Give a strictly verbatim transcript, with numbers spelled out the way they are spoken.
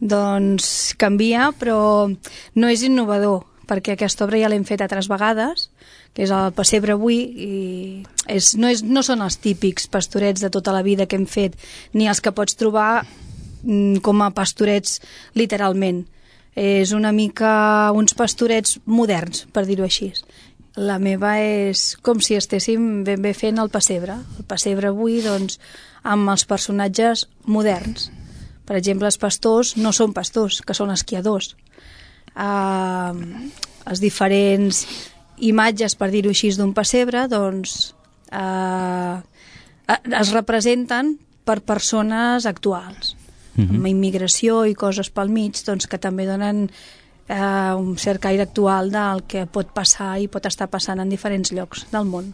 doncs canvia, però no és innovador, perquè aquesta obra ja l'hem fet altres vegades, que és el Pessebre avui, i és, no, és, no són els típics pastorets de tota la vida que hem fet, ni els que pots trobar mm, com a pastorets literalment. És una mica uns pastorets moderns, per dir-ho així. La meva és com si estéssim ben bé fent el pessebre. El pessebre avui, doncs, amb els personatges moderns. Per exemple, els pastors no són pastors, que són esquiadors. Uh, els diferents imatges, per dir-ho així, d'un pessebre, doncs, uh, es representen per persones actuals. Mm-hmm. Amb immigració i coses pel mig, doncs, que també donen eh, un cert caire actual del que pot passar i pot estar passant en diferents llocs del món.